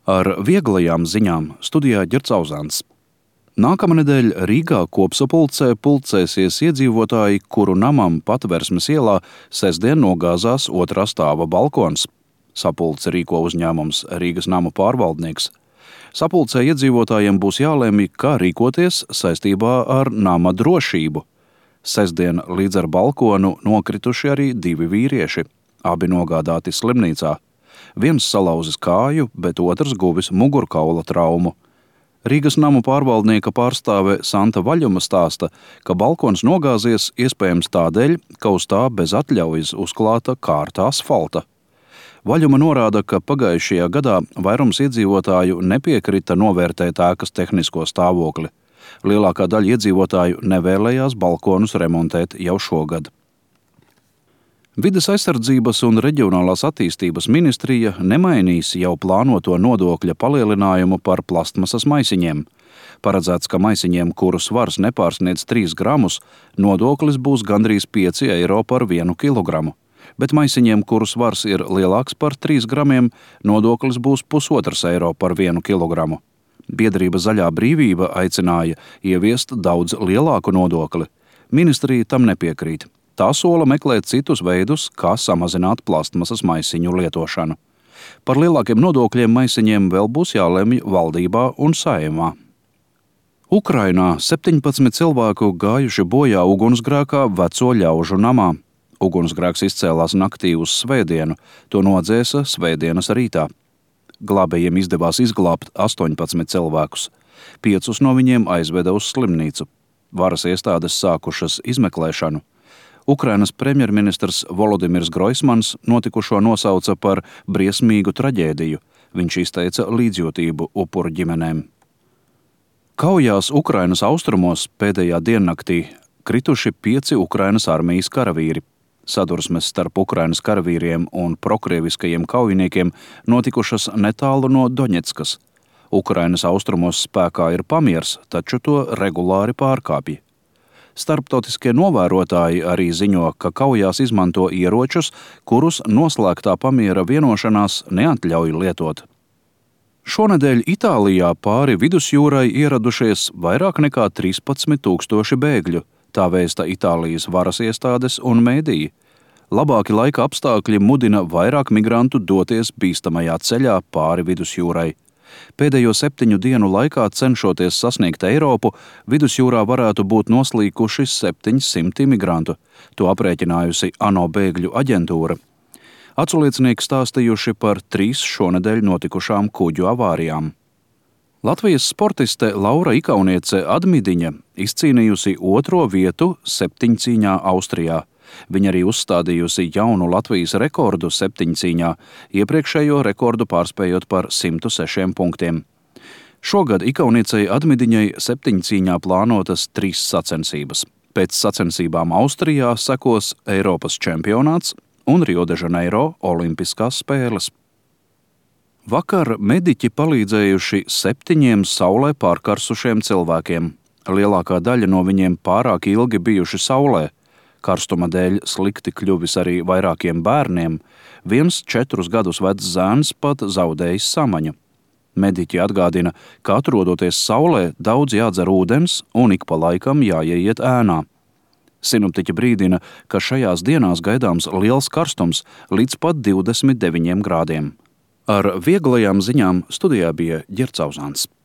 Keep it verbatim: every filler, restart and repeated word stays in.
Ar vieglajām ziņām studijā Ģerts Auzāns. Nākamā nedēļa Rīgā kopsapulcē pulcēsies iedzīvotāji, kuru namam Patversmes ielā sestdien nogāzās otrā stāva balkons. Sapulci rīko uzņēmums Rīgas namu pārvaldnieks. Sapulcē iedzīvotājiem būs jālemj, kā rīkoties saistībā ar nama drošību. Sestdien līdz ar balkonu nokrituši arī divi vīrieši, abi nogādāti slimnīcā. Viens salauzis kāju, bet otrs guvis mugurkaula traumu. Rīgas namu pārvaldnieka pārstāve Santa Vaļuma stāsta, ka balkons nogāzies iespējams tādēļ, ka uz tā bez atļaujas uzklāta kārta asfalta. Vaļuma norāda, ka pagājušajā gadā vairums iedzīvotāju nepiekrita novērtēt ēkas tehnisko stāvokli. Lielākā daļa iedzīvotāju nevēlējās balkonus remontēt jau šogad. Vides aizsardzības un reģionālās attīstības ministrija nemainīs jau plānoto nodokļa palielinājumu par plastmasas maisiņiem. Paredzēts, ka maisiņiem, kuru svars nepārsniedz trīs gramus, nodoklis būs gandrīz pieci eiro par vienu kilogramu. Bet maisiņiem, kuru svars ir lielāks par trīs gramiem, nodoklis būs pusotrs eiro par vienu kilogramu. Biedrība Zaļā brīvība aicināja ieviest daudz lielāku nodokli. Ministrija tam nepiekrīt. Tā sola meklēt citus veidus, kā samazināt plastmasas maisiņu lietošanu. Par lielākiem nodokļiem maisiņiem vēl būs jālemj valdībā un Saeimā. Ukrainā septiņpadsmit cilvēku gājuši bojā ugunsgrēkā veco ļaužu namā. Ugunsgrēks izcēlās naktī uz svētdienu, to nodzēsa svētdienas rītā. Glābējiem izdevās izglābt astoņpadsmit cilvēkus. Piecus no viņiem aizveda uz slimnīcu. Varas iestādes sākušas izmeklēšanu. Ukrainas premjerministrs Volodimirs Groismans notikušo nosauca par briesmīgu traģēdiju. Viņš izteica līdzjūtību upuru ģimenēm. Kaujās Ukrainas austrumos pēdējā diennaktī krituši pieci Ukrainas armijas karavīri. Sadursmes starp Ukrainas karavīriem un prokrieviskajiem kaujiniekiem notikušas netālu no Doņetskas. Ukrainas austrumos spēkā ir pamiers, taču to regulāri pārkāpja. Starptautiskie novērotāji arī ziņo, ka kaujās izmanto ieročus, kurus noslēgtā pamiera vienošanās neatļauj lietot. Šonedēļ Itālijā pāri vidusjūrai ieradušies vairāk nekā trīspadsmit tūkstoši bēgļu, tā vēsta Itālijas varas iestādes un mēdīji. Labāki laika apstākļi mudina vairāk migrantu doties bīstamajā ceļā pāri vidusjūrai. Pēdējo septiņu dienu laikā, cenšoties sasniegt Eiropu, vidusjūrā varētu būt noslīkuši septiņsimti migrantu. To aprēķinājusi ANO bēgļu aģentūra. Aculiecinieki stāstījuši par trīs šonedēļ notikušām kuģu avārijām. Latvijas sportiste Laura Ikauniece Admidiņa izcīnījusi otro vietu septiņcīņā Austrijā. Viņa arī uzstādījusi jaunu Latvijas rekordu septiņcīņā, iepriekšējo rekordu pārspējot par simt sešiem punktiem. Šogad Ikauniecei Admidiņai septiņcīņā plānotas trīs sacensības. Pēc sacensībām Austrijā sekos Eiropas čempionāts un Rio de Janeiro olimpiskās spēles. Vakar mediķi palīdzējuši septiņiem saulē pārkarsušiem cilvēkiem. Lielākā daļa no viņiem pārāk ilgi bijuši saulē. Karstuma dēļ slikti kļuvis arī vairākiem bērniem. Viens četrus gadus vecs zēns pat zaudējis samaņu. Mediķi atgādina, ka atrodoties saulē, daudz jādzer ūdens un ik pa laikam jāieiet ēnā. Sinoptiķi brīdina, ka šajās dienās gaidāms liels karstums līdz pat divdesmit deviņiem grādiem. Ar vieglajām ziņām studijā bija Ģerts Auzāns.